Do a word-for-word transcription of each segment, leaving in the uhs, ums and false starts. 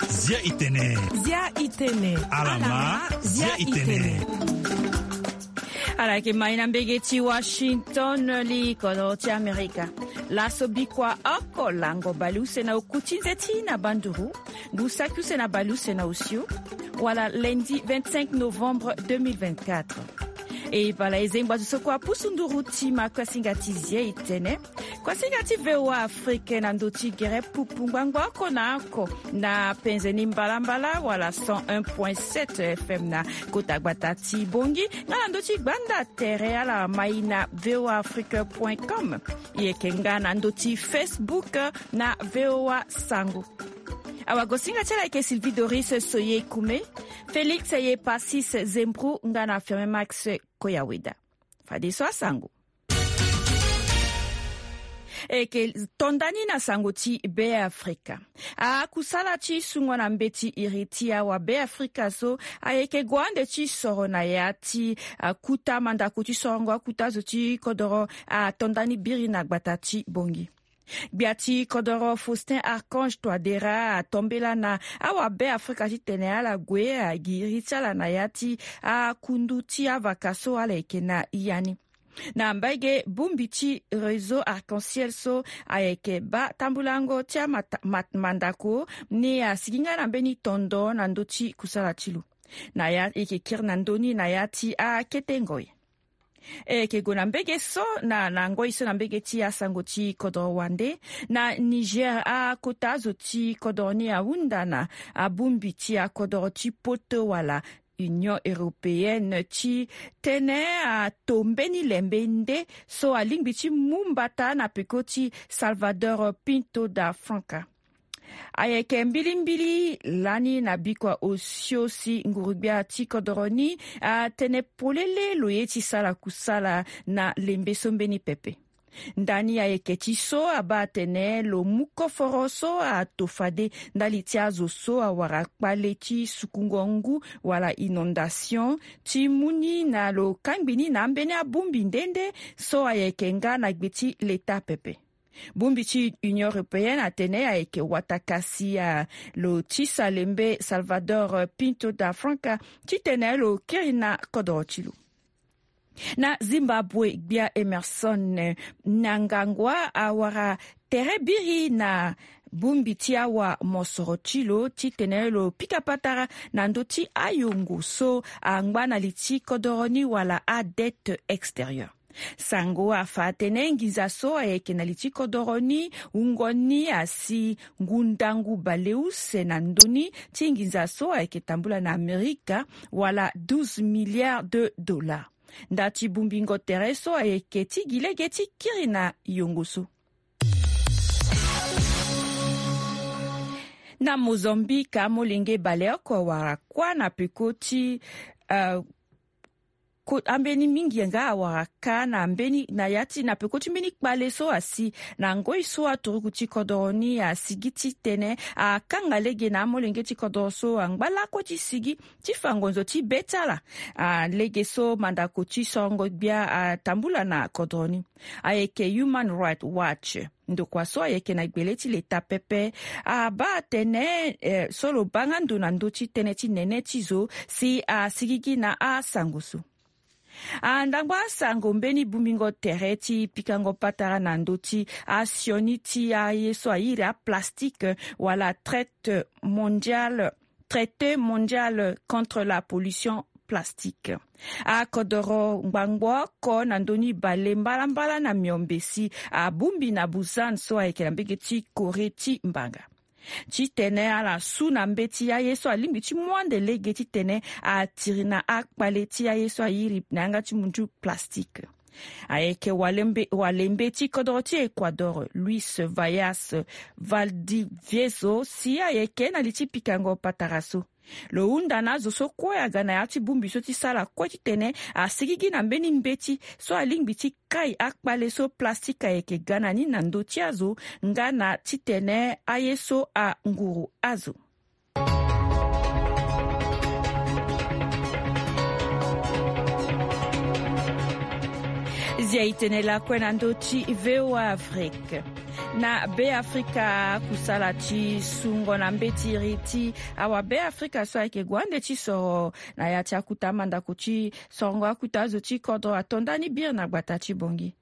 Zia itene. Zia itene. Alama, zia itene. Ala yeke mai na mbege ti Washington, li kodro ti Amerika. Laso bikua oko lango baleuse na oku ti nze ti na banduru, ngu saki use na baleuse na osio, wala lundi vingt-cinq novembre deux mille vingt-quatre. E bala e zengba zo so kue apusu nduru ti ma kuasinga ti zia itene. Kuasinga ti V O A Afrique na ndö ti gere pupu ngbangbo oko na oko na penze ni mbalambala wala cent un point sept F M na kota gbata ti Bongi, nga na ndö ti gbanda tere ala mai na V O A Afrique point com. E yeke nga na ndö ti Facebook na V O A Sango. Awagosinga ti ala ayeke Sylvie Doris Soye Kume, Félix Ye Passis Zembru nga na Firmin Max Koyaweda. Fadeso asango. E yeke to nda ni na sango ti Beafrika. Akusala ti sungo na mbeti iri ti awabeafrika so ayeke gue ande ti soro na ya ti akuta mandako ti sorongo akuta zo ti kodoro ato nda ni biri na gbata ti Bongi. Gbia ti kodoro Faustin Archange Touadéra atombela na awabeafrika titene ala gue agiri ti ala na ya ti akundu ti avaka so ala yeke na ya ni. Na mbage bongbi ti réseau Arc-en-Ciel so ayeke baa tambulango ti amata-, mat-, mandako ni asigi nga na mbeni tondo na ndö ti kusala ti lo. Na ya e yeke kiri na ndö ni na ya ti akete ngoi. E yeke gue na mbege so na, na ngoi so na mbege ti asango ti kodoro wande. Na Niger, akota azo ti kodoro ni ahunda na abongbi ti akodoro ti poto wala Union Européenne titene ato mbeni lembe nde so alingbi ti mu mbata na peko ti Salvador Pinto da Franca. Ayeke mbilimbili lani na bikua osio si nguru-gbia ti kodoro ni atene polele lo ye ti sara kusala na lembe so mbeni pepe. Ndani ayeke ti so abaa atene lo mu koforo so ato fade ndali ti azo so awara kpale ti sukungo ngu wala inondation ti mu ni na lo kangbi ni na ambeni abongbi nde nde so ayeke nga na gbe ti leta pepe. Bongbi ti Union Européenne atene ayeke wata kasi a lo tisa lembe Salvador Pinto da Franca titene lo kiri na kodoro ti lo. Na Zimbabwe, gbia Emerson Mnangagwa awara tere biri na bongbi ti awa mosoro ti lo titene lo pika patara na ndö ti ayongo so angba na li ti kodoro ni wala adette extérieure. Sango afa atene nginza so ayeke na li ti kodoro ni wungo ni asi ngu ndangu baleuse na ndö ni ti nginza so ayeke tambula na Amerika wala douze milliards de dollars. Nda ti bongbingo tere so ayeke ti gi lege ti kiri na yongo so. Na Mozambique, amolenge baleoko awara kuâ na peko ti, eh, ko-, ambeni mingi nga awara ka na mbeni, na ya ti, na peko ti mbeni kpale so asi na ngoi so aturuku ti kodoro ni asigi titene akanga lege na amolenge ti kodoro so angba lakue ti sigi ti fa ngonzo ti be ti ala. Ah, lege so mandako ti sorongo gbia atambula na kodro ni ayeke Human Rights Watch. Ndokua so ayeke na gbele ti leta pepe abaa atene, eh, so lo baa nga ndo na ndö ti tënë ti nene ti zo si asigigi na asango so. Ah, ndangba asango mbeni bongbingo tere ti pikango patara na ndö ti asioni ti aye so airi aplastike wala traite mondiale, traité mondial contre la pollution plastique. Akodoro ngbangbo oko na ndö ni bale mbalambala na miombe si abongbi na Busan so ayeke na mbege ti Corée ti mbanga. Titene ala su na mbeti aye so alingbi ti mu ande lege titene atiri na akpale ti aye so airi na yanga ti mundu plastique. Ayeke walembe, walembe ti kodoro ti Ecuador, Luis Vallas Valdivieso, si ayeke na li ti pikango patara so. Lo hunda na azo so kue aga na ya ti bongbi so ti sara kue titene asigigi na mbeni mbeti so alingbi ti kai akpale so plastique ayeke ga na ni na ndö ti azo, nga na titene aye so anguru azo. Dia itene lakue na ndo ti VOA Afrique. Na Be Afrika, kusala ti sungo na mbeti iri ti awa Be Afrika so ayeke gue ande ti soro na ya ti akuta mandako ti sorongo akuta azo ti kodro ato ndani biri na gbata ti Bongi.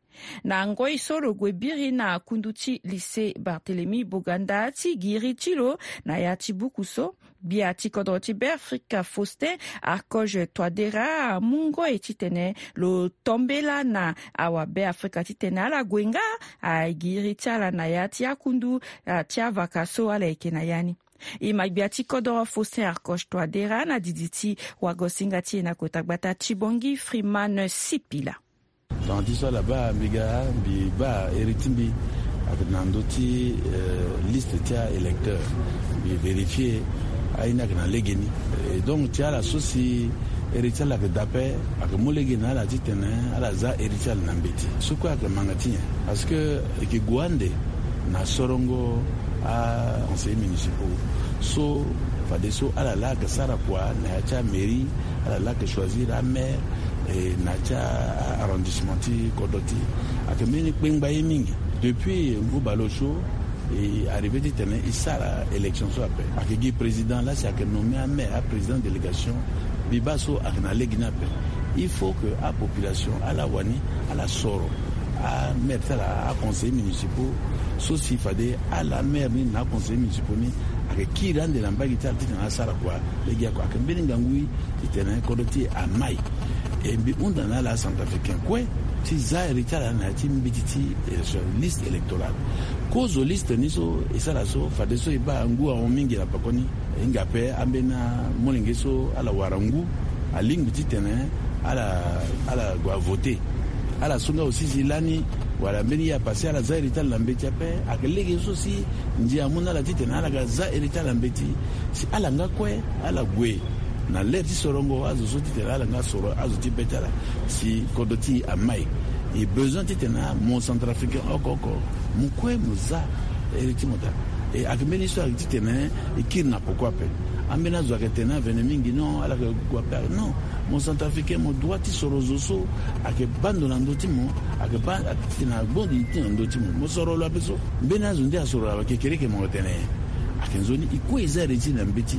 Na ngoi so lo gue biri na kundu ti lycée Barthélemy Boganda ti giri ti lo na ya ti buku so, gbia ti kodro ti Be Afrika Faustin Archange Touadéra amu ngoi titene lo tombela na awa Be Afrika titene ala gue nga agiri ti ala na ya ti akundu, ah, ti avaka so ala yeke na ya ni. E ma gbia ti kodro Faustin Archange Touadéra na didi ti wagosinga ti e na kota gbata ti Bongi, Freeman Sipila. Tongana ti so ala baa mbi ga, mbi baa iri ti mbi ayeke na ndö ti, eh, liste ti a-électeur. Mbi vérifier aye ni ayeke na legeni. Eh, donc ti ala so si iri ti ala ayeke daa ape, ayeke mu lege na ala titene ala za iri ti ala na mbeti. So kue ayeke manga ti nyen? Parce que e yeke gue ande na sorongo a-conseillers municipaux so fadeso ala laa ayeke sara kua na ya ti amairie, ala laa ayeke choisir amaire, e na ya ti a-arrondissement ti kodro ti e. Ayeke mbeni kpengba ye mingi. Depuis ngu baleosio e arrivé titene e sara élection so ape. Ayeke gi président laa si ayeke nommé amaire, aprésident délégation. Mbi baa so ayeke na lege ni ape. Il faut que apopulation ala wani ala soro amaire ti ala, aconseillers municipaux so si fade ala maire ni na aconseillers municipaux ni ayeke kiri ande na mbage ti ala titene asara kua. Lege oko ayeke mbeni ngangu titene kodro ti e amai. E mbi hunda na ala acentrafricain kue ti za iri ti ala na ya ti mbeti ti élection, liste électorale. Kozo liste ni so e sara so fadeso e baa ngu ahon mingi na pekoni. E hinga ape ambeni amolenge so ala wara ngu alingbi titene ala, ala gue avote. Ala so nga aussi si lani wala mbeni ye apase ala za iri ti ala na mbeti ape. Ayeke lege so si ndia amu na ala titene ala ga za iri ti ala na mbeti si ala nga kue ala gue na lere ti sorongo azo so titene ala nga soro azo ti be ti ala si kodro ti e amai. E besoin titene mo centrafricain oko oko mo kue mo za iri ti mo daa. E ayeke mbeni histoire ayeke titene e kiri na poko ape. Ambeni azo ayeke tene avene mingi, non, ala yeke gue ape. Non, mo centrafricain mo droit ti soro zo so ayeke baa ndo na ndö ti mo, ayeke baa titene agbondi ti na ndö ti mo. Mo soro lo ape so. Mbeni azo nde asoro lo ape, kekereke mo yeke tene nyen? Ayeke nzoni e kue e za iri ti e na mbeti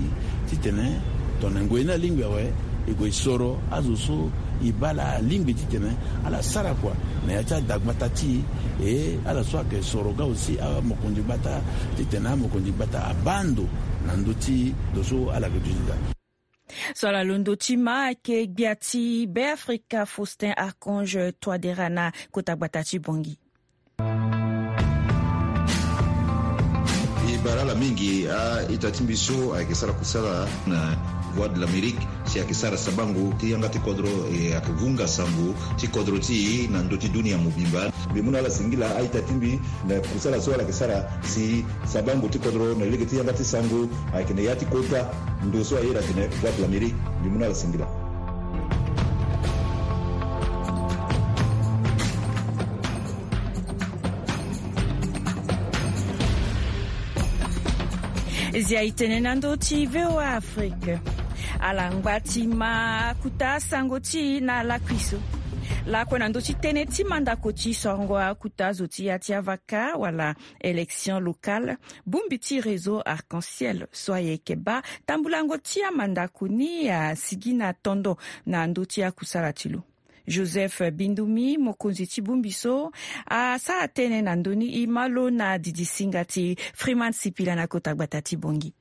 titene tongana ngoi ni alingbi awe, e gue e soro azo so e baa laa alingbi titene ala sara kua na ya ti adagbata ti e. E ala so ayeke soro ga aussi amokonzi gbata titene amokonzi gbata abaa ndo na ndö ti ndo so ala yeke duti daa. So ala londo ti ma ayeke gbia ti Be Afrika Faustin Archange Touadéra na kota gbata ti Bongi. E bara ala mingi a-ita ti mbi so ayeke sara kusala na Voix de l'Amérique si ayeke sara sabango ti yanga ti kodro, e ayeke vunga sango ti kodro ti e na ndö ti dunia mobimba. Mbi mu na ala singila a-ita ti mbi na kusala so ala yeke sara si sabango ti kodro na lege ti yanga ti sango ayeke na ya ti kota ndo so a iri atene Voix de l'Amérique. Mbi mu na ala singila. Zia e tene na ndö ti VOA Afrique. Ala ngba ti ma akuta sango ti e na lakui so. Lakue na ndö ti tënë ti mandako ti sorongo akuta zo ti ya ti avaka wala élection locale, bongbi ti réseau Arc-en-Ciel so ayeke baa tambulango ti amandako ni asigi na tondo na ndö ti akusala ti lo. Joseph Bindumi, mokonzi ti bongbi so, asara tënë na ndö ni. E ma lo na didi singa ti Freeman Sipila na kota gbata ti Bongi.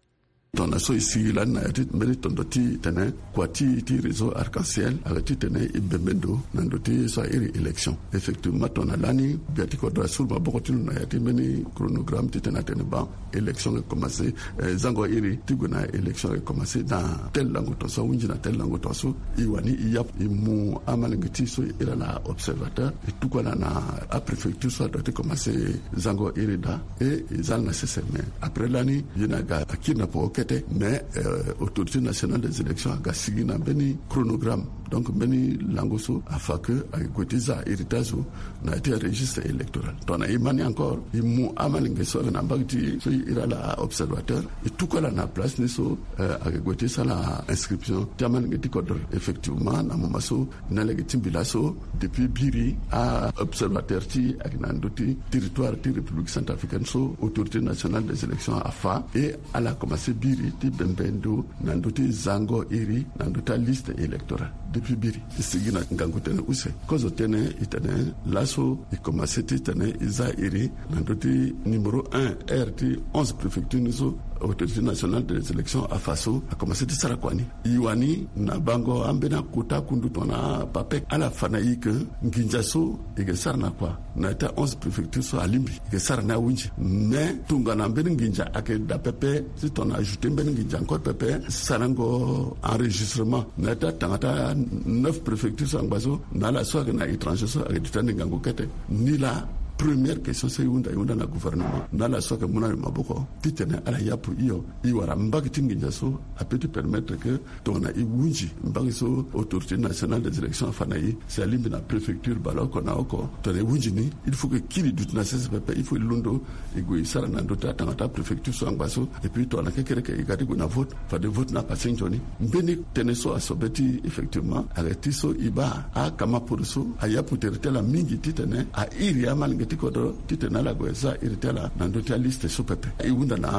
Tongana so e sigi lani na ya ti mbeni tondo ti tene kua ti, ti réseau Arc-en-Ciel ayeke titene e bembe ndo na ndö ti so a iri élection. Effectivement tongana lani gbia ti kodro asuru maboko ti lo na ya ti mbeni chronogramme titene atene ban élection e commencé, eh, zango iri ti gue na élection e commencé dans tel lango tongaso, ahunzi na tel lango tongaso. E wani e yapu e mu amalenge ti e so e iri ala na observateur, e tuku ala na apréfecture so adoit ti commencé zango iri daa. E e za ala na sese, mais après lani ye ni aga akiri na poko kete, mais, euh, autorité nationale des élections aga sigi na mbeni chronogramme. Donc mbeni lango so afa ke ayeke gue ti za iri ti azo na ya ti aregistre électoral. Tongana e ma ni encore, e mu amalenge so ayeke na mbage ti e so e iri ala aobservateur, e tuku ala na place ni so, eh, ayeke gue ti sara inscription ti amalenge ti kodro. Effectivement na moment so na lege ti mbi laso, depuis biri aobservateur ti e ayeke na ndö ti territoire ti République centrafricaine so Autorité nationale des élections afa, e ala commencé biri ti bembe ndo na ndö ti zango iri na ndö ti aliste électorale depuis biri. E sigi na ngangu tënë use. Kozo tënë e tene laso e commencé ti tene e za iri na ndö ti numéro un, aire ti onze préfecture ni so Autorité nationale des élections afa so, a commencé ti sara kua ni. E wani na bango ambeni akota kundu tongana PAPEC, ala fa na e ke nginza so e ke sara na kua na ya ti a onze préfecture so alingbi, e ke sara ni ahunzi. Mais tongana mbeni nginza ayeke daa pepe, si tongana ajouté mbeni nginza encore pepe, sarango enregistrement na ya ti atanga ti a neuf préfecture so angba so, na ala so ayeke na étranger so ayeke duti ande ngangu kete. Ni laa première question so e hunda, e hunda na gouvernement na ala so ayeke mu na e maboko titene ala yapu hio. E wara mbage ti nginza so apeut ti permettre que tongana e hunzi mbage so Autorité nationale des élections afa na e, si alingbi na préfecture baleoko na oko, tongana e hunzi ni, il faut que kiri duti na sese pepe, il faut e londo e gue e sara na ndö ti atanga ti apréfecture so angba so. Et puis tongana kekereke e ga ti gue na vote, fade vote ni apase nzoni. Mbeni tënë so asobe ti e effectivement ayeke ti so e baa akamaporo so ayapu tere ti ala mingi titene a iri amalenge ti kodro titene ala gue za iri ti ala na ndö ti aliste so pepe. E hunda na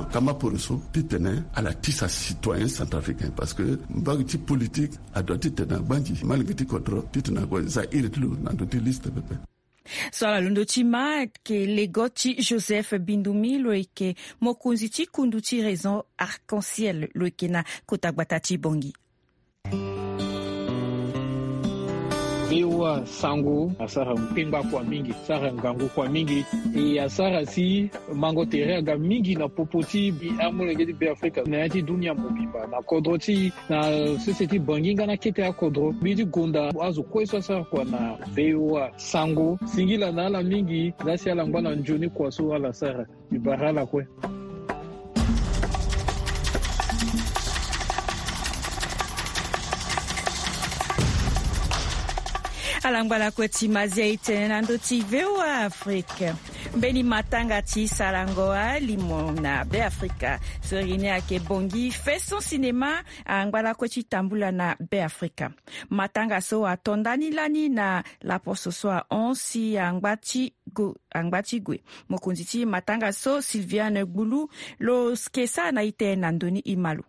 akamaporo so titene ala tisa citoyen centrafricain, parce que mbage ti politique adoit titene agbanzi malenge ti kodro titene ague za iri ti lo na ndö ti liste pepe. So ala londo ti ma ayeke lego ti Joseph Bindumi, lo yeke mokonzi ti kundu ti Réseau Arc-en-Ciel, lo yeke na kota gbata ti Bangui. V O A sango asara kpengba kua mingi, asara ngangu kua mingi. E asara si mango tere aga mingi na popo ti amolenge ti Beafrika na ya ti dunia mobimba na kodro ti e, na sese ti Bangui nga na kete akodro. Mbi ti gonda azo kue so asara kua na V O A sango. Singila na ala mingi. Laa si ala ngba na nzoni kua so ala sara. Mbi bara ala kue. Ala ngba lakue ti mazia e tene na ndö ti V O A Afrique. Mbeni matanga ti sarango alimo na Beafrika so iri ni ayeke Bangui Faisons Cinéma angba lakue ti tambula na Beafrika. Matanga so ato ndani lani na laposo so ahon si angba ti gue. Mokonzi ti matanga so Sylviane Gbulu lo yeke sara na e tene na ndö ni, e ma lo.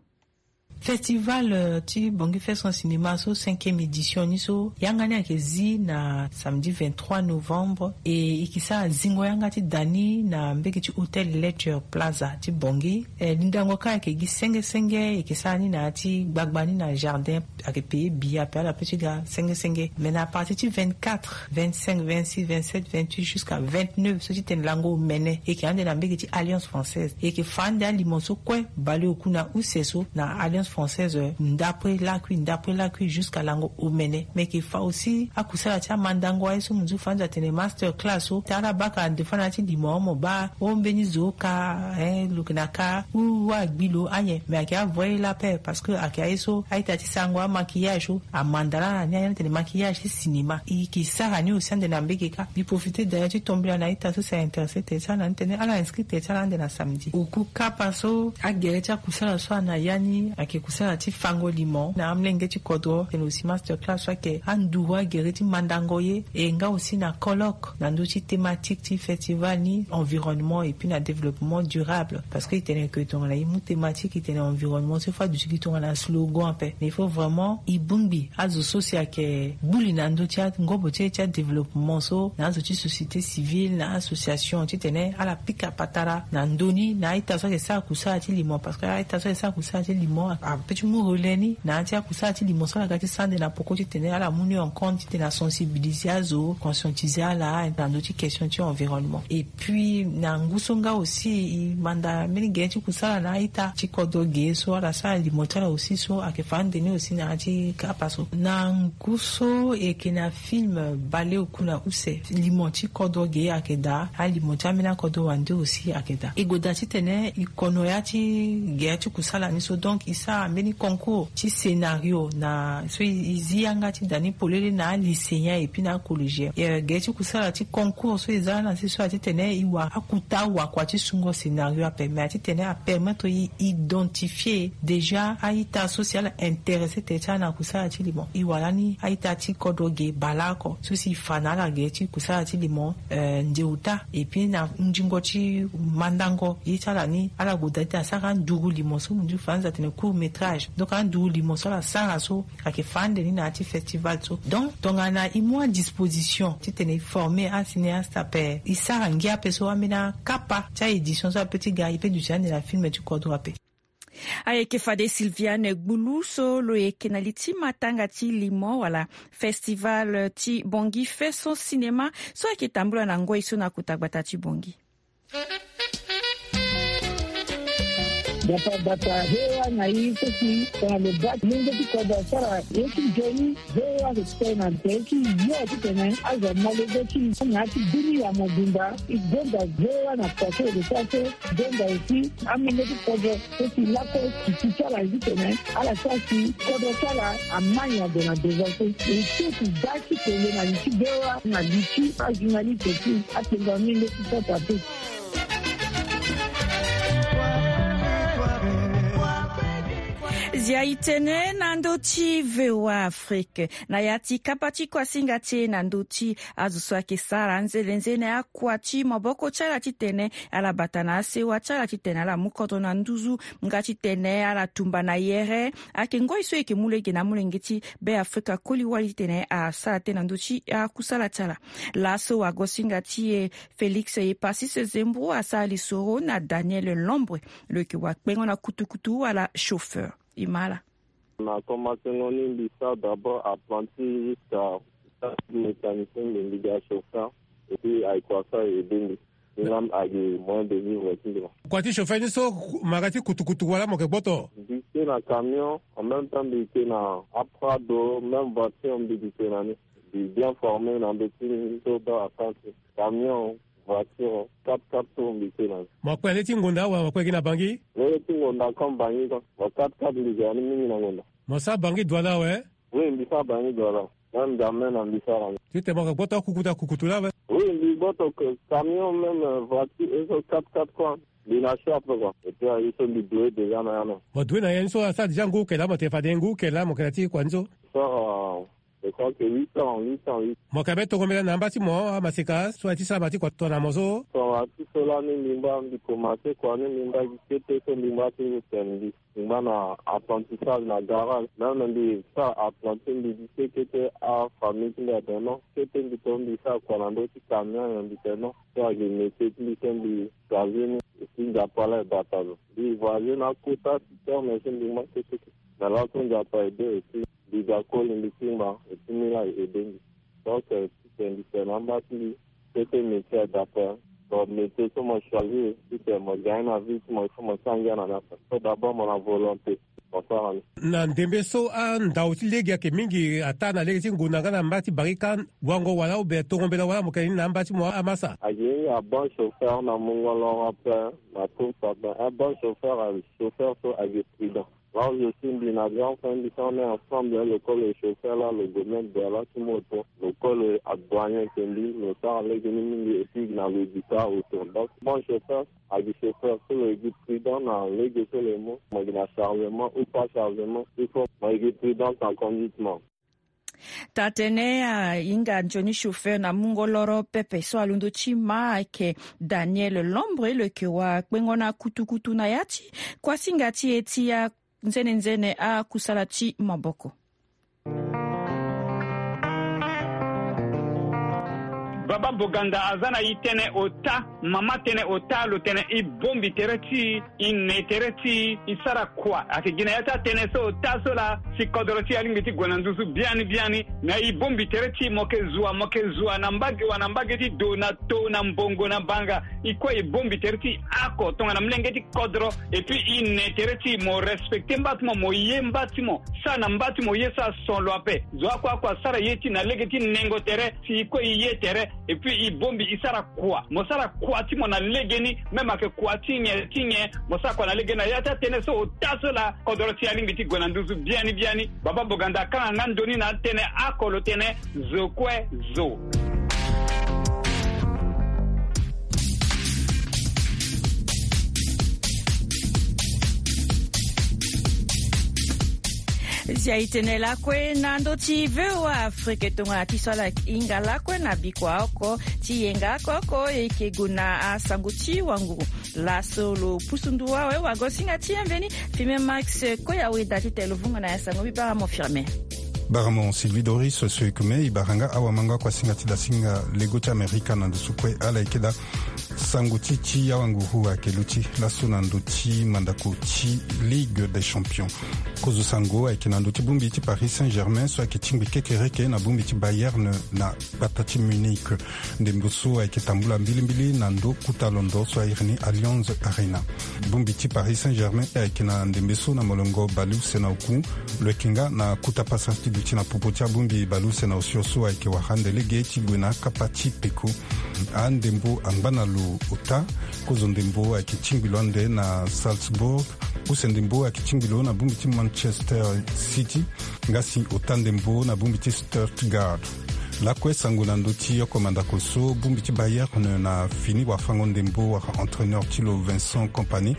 Festival ti Bangui Faisons Cinéma so cinquième édition ni so yanga ni ayeke zi na samedi vingt-trois novembre, e e yeke sara zingo yanga ti da ni na mbege ti hôtel Lecture Plaza ti Bangui. Lindango kâ ayeke gi senge senge, e yeke sara ni na ya ti gbagba ni na jardin. Ayeke payé billet ape, ala peut ti ga senge senge. Mais na partir ti vingt-quatre, vingt-cinq, vingt-six, vingt-sept, vingt-huit jusqu'à vingt-neuf so ti tene lango omene, e yeke ande na mbege ti Alliance Française. E yeke fa ande alimo so kue baleoku na use so na Alliance Française, ndapre lakui ndapre lakui jusqu'à lango omene. Mais e yeke fa aussi akusala ti amandango aye so mo nzu fa ande atene master class so ti ala baka ande fa na ya ti limo mo baa o mbeni zo ka, eh, lo yeke na ka ou agbi lo ayen. Mais ayeke avoye la paix parce que ayeke aye so a-ita ti sarango amaquillage so amanda laa na ni aye atene maquillage ti cinéma. E yeke sara ni aussi ande na mbege kâ. Mbi profité d'ailleurs ti tombela na a-ita so si a intéressé tere ti ala na ni tene ala inscrit tere ti ala ande na samedi. Oku kapa so agere ti akusala so ana ya ni ayeke kusala ti fango limo na amolenge ti kodro, tene aussi master class so ayeke anduru agere ti mandango ye, e nga aussi na colloque na ndö ti thématique ti festival ni, environnement et puis na développement durable. Parce que e tene ke tongana e mu thématique e tene environnement so, il faut aduti gi tongana slogan ape. Mais il faut vraiment e bongbi azo so si ayeke gbu li na ndö ti angobo ti e ti adéveloppement so, na azo ti société civile, na association, titene ala pika patara na ndö ni na a-ita so ayeke sara kusala ti limo. Parce que a-ita so ayeke sara kusala ti limo ape ti mu relais ni na ya ti akusala ti limo so ala ga ti sara ande na poko titene ala mu ni en compte titene asensibiliser azo, conscientiser ala na ndö ti question ti environnement. Et puis na ngu so nga aussi e manda mbeni gere ti kusala na a-ita ti kodro ge so ala sara limo ti ala aussi so ayeke fa ande ni aussi na ya ti kapa so. Na ngu so e yeke na film Baleoku na use, limo ti kodro ge ayeke daa, alimo ti ambeni akodro wande aussi ayeke daa. E gue daa titene e kono ya ti gere ti kusala ni so, donc e sara Ambeni concours ti scénario na so e zi yanga ti da ni polele na alycéen et puis na acollégien. Ge ti kusala ti concours so e za na si so ati tene e wara akuta wakua ti sungo scénario ape, mais ati tene apermettre e identifier déjà a-ita so si ala intéressé tene ti ala na kusala ti limo. E wara ni a-ita ti kodro ge baleoko so si e fa na ala ge ti kusala ti limo nde ota. Et puis na ndingo ti mandango ye ti ala ni, ala goda ti asara nduru limo so mundu faranza atene court métrage. Donc anduru limo so ala sara so ayeke fa ande ni na ya ti festival so. Donc tongana e mu adisposition titene e former acinéaste ape, e sara ngia ape so ambeni akapa ti aédition so ape ti ga e pe duti ande na film ti kodro ape. Ayeke fade Sylviane Gbulu so lo yeke na li ti matanga ti limo wala festival ti Bangui Faisons Cinéma so ayeke tambula na ngoi so na kota gbata ti Bangui. Bata bata, hewa na i soki tongana lo baa ti lenge ti kodro asara ye ti nzoni. Hewa so titene na nze ti yo titene azo amolenge ti na ya ti dunia mobimba. E gonda hewa na kua so e lo sara so. E gonda aussi amolenge ti kodro so si lako ti ti ti ala titene ala sara si kodro ti ala amai ado na devant so. E so ti baa ti tene na li ti hewa na li ti ajournaliste ti atenga amolenge ti sota te. Zia e tene na ndö ti V O A Afrique na ya ti kapa ti kuasinga ti e na ndö ti azo so ayeke sara nzene nzene akua ti maboko ti ala titene ala bata na asewa ti ala titene ala mu kodro na nduzu nga titene ala tumba na yere. Ayeke ngoi so e yeke mu lege na amolenge ti Beafrika koli wali titene asara tënë na ndö ti akusala ti ala. Laso wagosinga ti e Félix Epasis Zembrou asara lisoro na Daniel Lombre, lo yeke wakpengo na kutukutu wala chauffeur. E ma ala. Na komansengo ni mbi sara d'abord apprenti jusqu'à mécanicien, mbi mbi ga chauffeur. Et puis ayeke wasa e aidé mbi. Ni la ayeke moyen de vivre ti mbi la. Kua ti chauffeur ni so, mo ga ti kutukutu wala mo yeke gboto? Mbi ke na camion, en même temps mbi ke na aprado, même voiture mbi ke na ni. Mbi bien formé na ndö ti ni so baa apprenti. Camion, voiture, quatre-quatre tours mbi ke na ni. Mo kue na lege ti ngonda wala mo kue gi na Bangui? Lege ti ngonda comme Bangui quoi. Mo quatre-quatre mbi ga ni mingi na ngonda. Mo sara Bangui Douala awe? Oui, mbi sara Bangui Douala. Même jamais na mbi sara ni. Titene mo yeke gboto akukutu akukutu laa awe? Oui, mbi gboto camion, même voiture, et so quatre-quatre quoi. Mbi na choix ape quoi. Et puis aye so mbi doué déjà na ya na. Mo doué na ya ni so asara déjà ngu oko laa mo tene fade ngu oko laa mo yeke na ti kua ni so? Sara. Je crois que huit ans, huit ans, huit. Mo yeke be tongo mbela na amba ti mo amaseka so aye ti sara ma ti kua tongana mo so? Tongana ti so lani mbi ngba mbi komanse kua ni mbi ngba gi kete so mbi ngba ti tene mbi. Mbi ngba na apprentissage na garage. Même mbi sara apprenti mbi gi kete kete afamille ti mbi atene non. Kete mbi to mbi sara kua na ndö ti camion nyen mbi tene non. So ayeke métier ti mbi so mbi choisir ni. Et puis Nzapa laa e bata lo. Mbi voyager na akota ti terme so mbi ngba kete kete. Na laso Nzapa aidé aussi. Mbi ga koli mbi ti ngba et puis ni laa e aidé mbi. Donc titene mbi tene na amba ti mbi, kete métier adapté. Donc métier so mo choisir titene mo gagne na vie ti mo, il faut mo sara ngia na ni ape. So d'abord mo na volonté, mo sara ni. Na ndembe so andau ti lege ayeke mingi ataa na lege ti ngonda nga na mba ti barika, wango wala obe tongo mbela wala mo yeke ni na amba ti mo amasa? Ayeke ni a bon chauffeur na mungo loro ape, na course ape. Un bon chauffeur, chauffeur so ayeke prudent. Là où je suis, mbi na grand frère mbi so on est ensemble, lo koli lo chauffeur là, lo gue même Douala ti moto, lo koli lo adoigner ke mbi, lo sara lege ni mingi, et puis na lo gi taa auto. Donc bon chauffeur, ayeke chauffeur so lo yeke prudent na lege so lo yeke mu, mo yeke na chargement ou pas chargement, il faut mo yeke prudent na conduite mo. Taa-tënë ahinga nzoni chauffeur na mungo loro pepe so alondo ti ma ayeke Daniel Lombre, lo yeke wakpengo na kutukutu na ya ti kuasinga ti e ti anzenenzene akusala ti maboko. Baba Boganda aza na e tënë ota, mama tënë ota, lo tene e bongbi tere ti e, e ne tere ti e, e sara kua. Ayeke gi na ya ti atënë so ota so laa si kodro ti e alingbi ti gue na nduzu biani biani. Me e bongbi tere ti e, mo yeke zua, mo yeke zua na mbage wa na mbage ti do, na to, na mbongo, na banga. E kue e bongbi tere ti e oko tongana molenge ti kodro. Et puis e ne tere ti e, mo respecter mba ti mo, mo ye mba ti mo. Sara na mba ti mo ye so ason lo ape. Zo oko oko asara ye ti e na lege ti nengo tere, si e kue e ye tere. Et puis e bongbi e sara kua, mo sara kua ti mo na legeni, même ayeke kua ti nyen ti nyen, mo sara kua na legeni na ya ti atene so ota so laa kodro ti e alingbi ti gue na nduzu biani biani. Baba Boganda akanga nga ndoni na atene oko lo tene zo kue zo. Zia e tene lakue na ndö ti V O A Afrique tongana ti so ala hinga lakue na bikua oko ti yenga oko oko e yeke gue na asango ti wanguru. Laso lo pusu ndu awe wagosinga ti e mveni. Firmin Max Koya Weda ti tene lo vunga na ya sango mbi bara mo Firmin. Bara mo Sylvie Doris, so e kume e bara nga awamango akuasinga ti dasinga lego ti Amerika na ndo so kue ala yeke daa. Sango ti ti awanguru ayeke luti laso na ndo ti mandako ti Ligue des Champions. Kozo sango ayeke na ndo ti bongbi ti Paris Saint-Germain so ayeke tingbi kekereke na bongbi ti Bayern na gbata ti Munich. Ndembo so ayeke tambula mbilimbili na ndo kota londo so a iri ni Allianz Arena. Bongbi ti Paris Saint-Germain ayeke na ndembe so na molongo baleuse na oku. Lo yeke nga na kota pasa ti duti na popo ti abongbi baleuse na osio so ayeke wara ande lege ti gue na akapa ti peko. Andembo angba na lo ota. Kozo ndembo ayeke tingbi lo ande na Salzburg. Use ndembo ayeke tingbi lo na bongbi ti Manchester City. Nga si ota ndembo na bongbi ti Stuttgart. Lakue sango na ndö ti oko mandako so bongbi ti Bayern na fini wafango ndembo wala entraîneur ti lo Vincent Kompany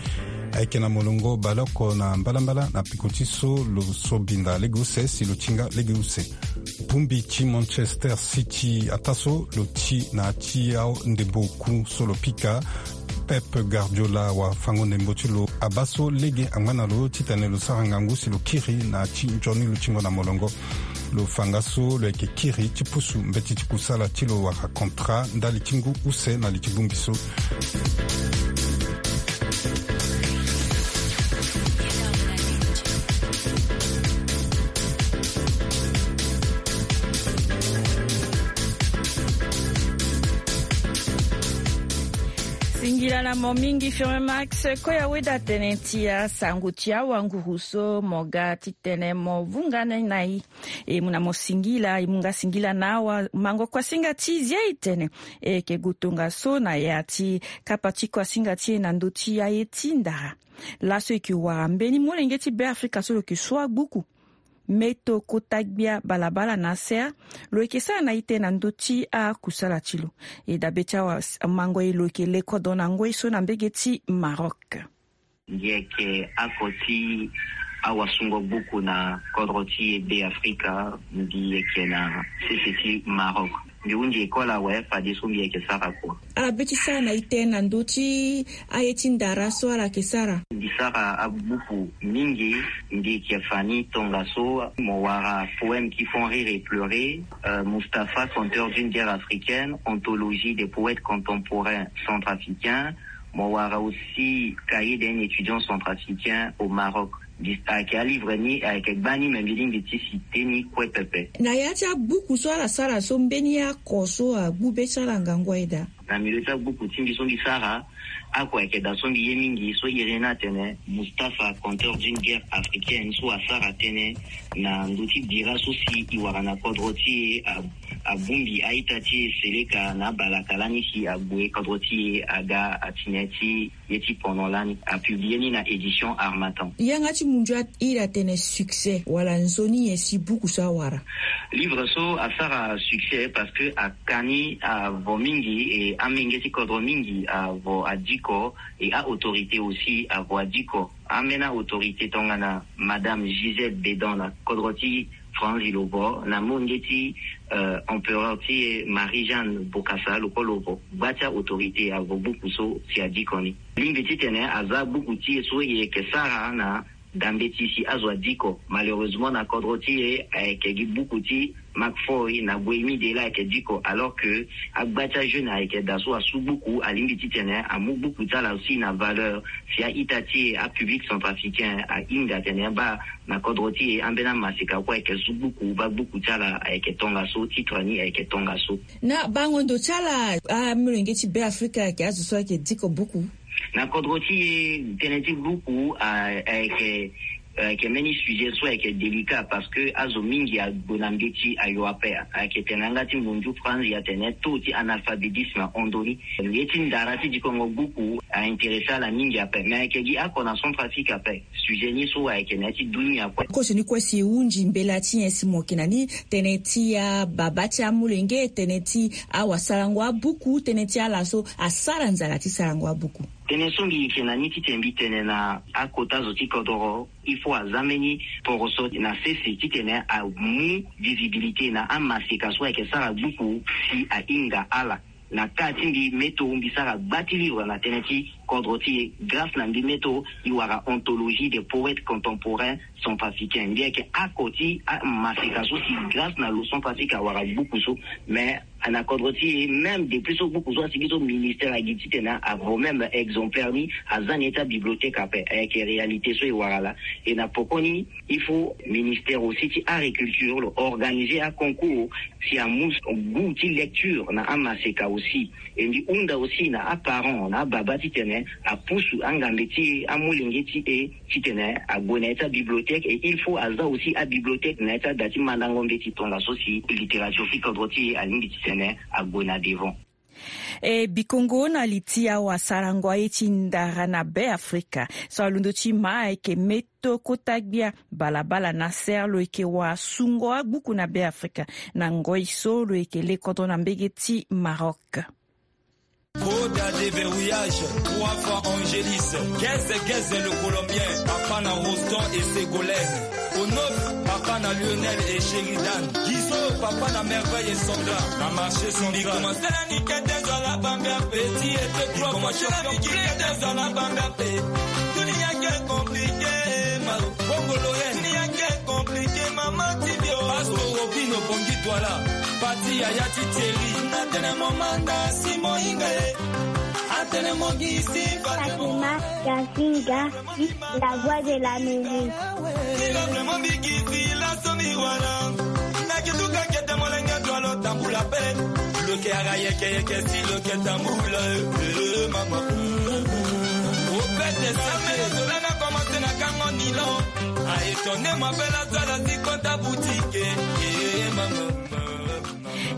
ayeke na molongo baleoko na mbalambala na peko ti so lo so binda lege use si lo ti nga lege use. Bongbi ti Manchester City ataa so lo ti na ya ti andembo oku so lo pika Pep Guardiola wafango ndembo ti lo abaa so lege angba na lo titene lo sara ngangu si lo kiri na ya ti nzoni lo tingo na molongo. Lo fa nga so lo yeke kiri ti pusu mbeti ti kusala ti lo wala contrat ndali ti ngu use na li ti bongbi so. Singila na mo mingi Firmin Max Koya Weda tënë ti asango ti awanguru so mo ga titene mo vunga na e. E mu na mo singila, e mu nga singila na awamango kuasinga ti zia e tene e yeke gue tongaso na ya ti kapa ti kuasinga ti e na ndö ti aye ti ndara. Laso e yeke wara mbeni molenge ti Beafrika so lo yeke so agbuku. Meto kota gbia balabala na asere lo yeke sara na ite na ndö ti akusala ti lo. E dabe ti awamango e lo yeke le kodro na ngoi so na mbege ti Maroc. Mbi yeke oko ti awasungo gbuku na kodro ti e Beafrika, mbi yeke na sese ti Maroc. Mbi hunzi école awe fadeso mbi yeke sara kua. Ala be ti sara na ite na ndö ti aye ti ndara so ala yeke sara. Mbi sara agbuku mingi, mbi yeke fa ni tongaso, mo wara Poèmes qui font rire et pleurer, euh, Mustapha, conteur d'une guerre africaine, anthologie des poètes contemporains centrafricains, mo wara aussi Cahier d'un étudiant centrafricain au Maroc. Mbi ayeke alivre ni ayeke gbani me mbi lingbi ti citer ni kue pepe. Na ya ti agbuku so ala sara so mbeni oko so agbu be ti ala ngangu aye daa? Na milieu ti agbuku ti mbi so mbi sara, oko ayeke daa so mbi ye mingi so iri ni atene Mustapha, conteur d'une guerre africaine, so asara tënë na ndö ti bira so si e wara na kodro ti e, a, abongbi a-ita ti e seleka na abalaka lani si ague kodro ti e aga atene ti ye ti pono lani, apublie ni na édition Harmattan. Yanga ti munzu a iri atene succès wala nzoni nyen si buku so awara? Livre so asara succès parce que aka ni avo mingi, e amenge ti kodro mingi avo adiko, e a-autorité aussi avo adiko. Ambeni autorité tongana Madame Gisèle Bédon na kodro ti Franzi lo vo, na molenge ti, euh, empereur ti e Marie-Jeanne Bokassa lo kue lo vo. Gba ti autorité avo buku so si adiko ni. Lingbi titene aza buku ti e so e yeke sara na dambe ti si azo adiko. Malheureusement na kodro ti e ayeke gi buku ti Marc Foy na Boémie de là ayeke diko, alors que agba ti ajeune ayeke daa so asu buku, alingbi titene amu buku ti ala aussi na valeur. Si a-ita ti e, apublic centrafricain ahinga atene abaa na kodro ti e ambeni amaseka kue ayeke su buku, baa buku ti ala ayeke tongaso, titre ni ayeke tongaso. Na bango ndo ti ala amolenge ti Beafrika ayeke azo so ayeke diko buku? Na kodro ti e tënë ti buku a, ayeke Ayeke mbeni sujet so ayeke délicat parce que azo mingi ague na mbeti ayo ape. Ayeke tene na yanga ti munju franzi atene taux ti analphabétisme ahon ndoni. Ye ti ndara ti dikongo buku a intéressé ala mingi ape, mais ayeke gi oko na Centrafrique ape. Sujet ni so ayeke na ya ti dunia kue. Koso ni kue si e hunzi mbela ti nyen si mo yeke na ni tënë ti ababa ti amolenge, tënë ti awasarango abuku, tënë ti ala so asara nzara ti sarango abuku. Tënë so mbi yeke na ni titene mbi tene na akota zo ti kodoro, il faut aza mbeni poroso na sese titene amu visibilité na amaseka so ayeke sara buku si ahinga ala. Na ka ti mbi meto mbi sara gba ti livre na tënë ti kodro ti e grâce na mbi meto. I wara anthologie des poètes contemporains centrafricains. Mbi yeke oko ti amaseka so si grâce na lo Centrafrique awara buku so. Mais na kodro ti e, même depuis so buku so asigi so ministère agi titene avo même exemplaire ni aza na ye ti abibliothèque ape. Ayeke réalité so e wara laa. E na pokoni il faut ministère aussi ti agriculture lo organiser aconcours si amu goût ti lecture na amaseka aussi. E mbi hunda aussi na aparent na ababa titene apusu angambe ti e, amolenge ti e, titene ague na ya ti abibliothèque. Et il faut aza aussi abibliothèque na ya ti ada ti mandango mbeti tongaso si littérature ti kodro ti e alingbi titene ague na devant. E bikongo na li ti awasarango aye ti ndara na Be Afrika so alondo ti ma ayeke meto kota gbia Balabala Nasser, lo yeke wasungo agbuku na Be Afrika na ngoi so lo yeke le kodro na mbege ti Maroc. Koda déverrouillage, trois fois Angélis, Geze Geze le Colombien, papa na Roston et Ségolène, Onof, papa na Lionel et Sheridan, Gizo, papa na Merveille et Sandra, na marché central. Commencé na nikete zola bambia petit et trois fois champion. Nikete zola bambia pe. Dunia ke compliqué, ma. Bongo Loren. Dunia ke compliqué, mama Tibio. Pastor Robino Bongi Douala, Pati yaya ti Thierry. Atene mo manda si mo hinga e. Atene mo gisi Fatima Gazinga, la voix de l'Amérique. Ila vraiment bigisi la so mi wara. Na kituka kete molenge dua lo tambula pe. Lo ke ara yeke yeke si lo ke tambula, eh, eh, mama. Opete same zola na commencé na kango nilo. A étonné ma belle, aza la si kota boutique, eh, mama.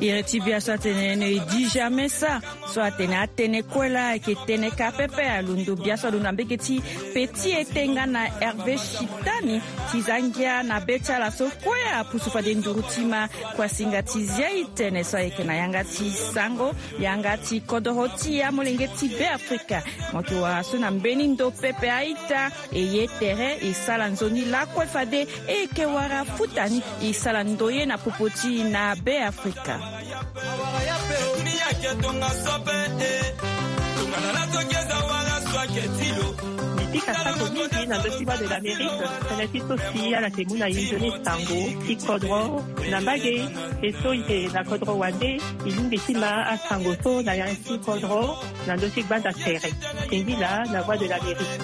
Iri ti bia so atene ne e di jamais ça. So atene atënë kue laa ayeke tënë ka pepe. Alondo bia so alondo na mbege ti Petit Etenga na Hervé Chitani ti za ngia na be ti ala so kue apusu fade nduru ti ma. Kuasinga ti zia e tene so ayeke na yanga ti sango, yanga ti kodoro ti amolenge ti Be Afrika. Mo yeke wara so na mbeni ndo pepe a-ita. E ye tere e sara nzoni lakue fade e yeke wara futa ni e sara ndoye na popo ti e na Be Afrika. Mbi pika sango mingi na ndö ti Voix de l'Amérique, tënë ti so si ala yeke mu na e nzoni sango ti kodro na mbage. E so e yeke na kodro wande, e lingbi ti ma asango so na ya ti kodro. Na ndö ti gbanda tere. Singila na Voix de l'Amérique.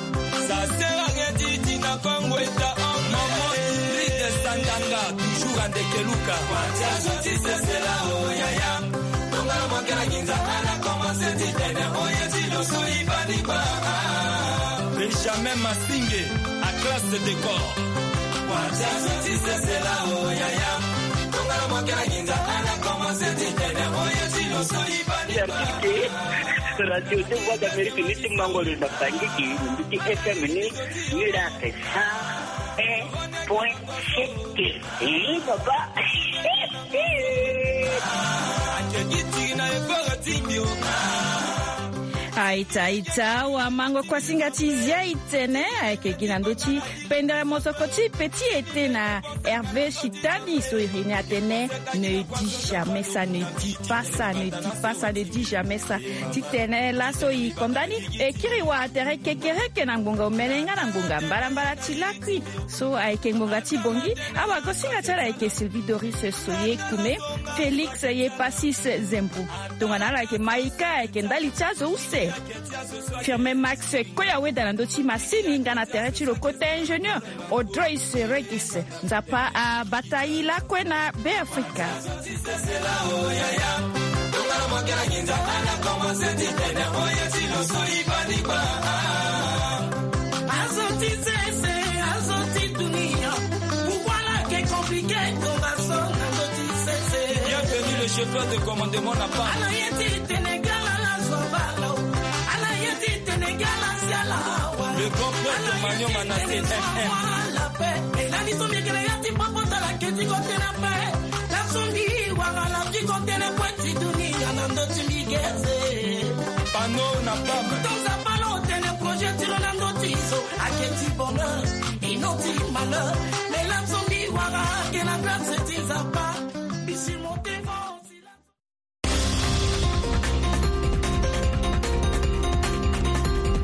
Ça sert à rien, Titi, na Congo est à homme. Maman Ingrid Sandanga, toujours à Ndekeluka. Watia zo ti sese la, oh, yaya. Tongana mo kena nginza, ala commencé ti tene, oh, ye ti lo so i bani ba. Benjamin Masinge, à classe de décor. Watia zo ti sese la, oh, yaya. Tongana mo kena nginza, ala commencé ti tene, oh, ye ti lo so i bani ba. Certifié. Radio de Voix d'Amérique ni ti mango lo na Bangui, ni ti F M ni, ni la ke cent un point sept. Eh, papa. Aita, aita, wa mango kuasinga ti zia e tene, ayeke gi na ndö ti pendere mosoko ti Petit Ete na Hervé Chitani so e ri ni atene, ne dis jamais ça, ne dis pas ça, ne dis pas ça, ne dis jamais ça. Titene laso e konda ni, e kiri wa tere kekereke na ngbonga omene nga na ngbonga mbalambala ti lakui. So ayeke ngbonga ti bongi, awagosinga ti ala ayeke Sylvie Doris Soye Kume, Félix Yepasis Zembo. Tongana ala ayeke Maïka, ayeke ndali ti azo use. Firmin Max Koyaweda na ndö ti masini nga na tere ti lo kota ingénieur Audrey Seregis. Nzapa abata e lakue na Be Afrika. Chef de commandement na pas. Ala ye ti Sénégal, ala zwa bala o. Ala ye ti Sénégal, asiala awa. Le grand prêtre Magnon Manassé, M M. Elani so mbi yeke na ya ti popo tala keti kote na pe. La so mbi wara la ti kote na kue ti dunia na ndo ti mbi geze. Pano na pam. Tonza palo tene projet ti lo na ndo ti zo. Aketi bonheur, inoti malheur. Mais la so mbi wara ke na grâce ti Nzapa.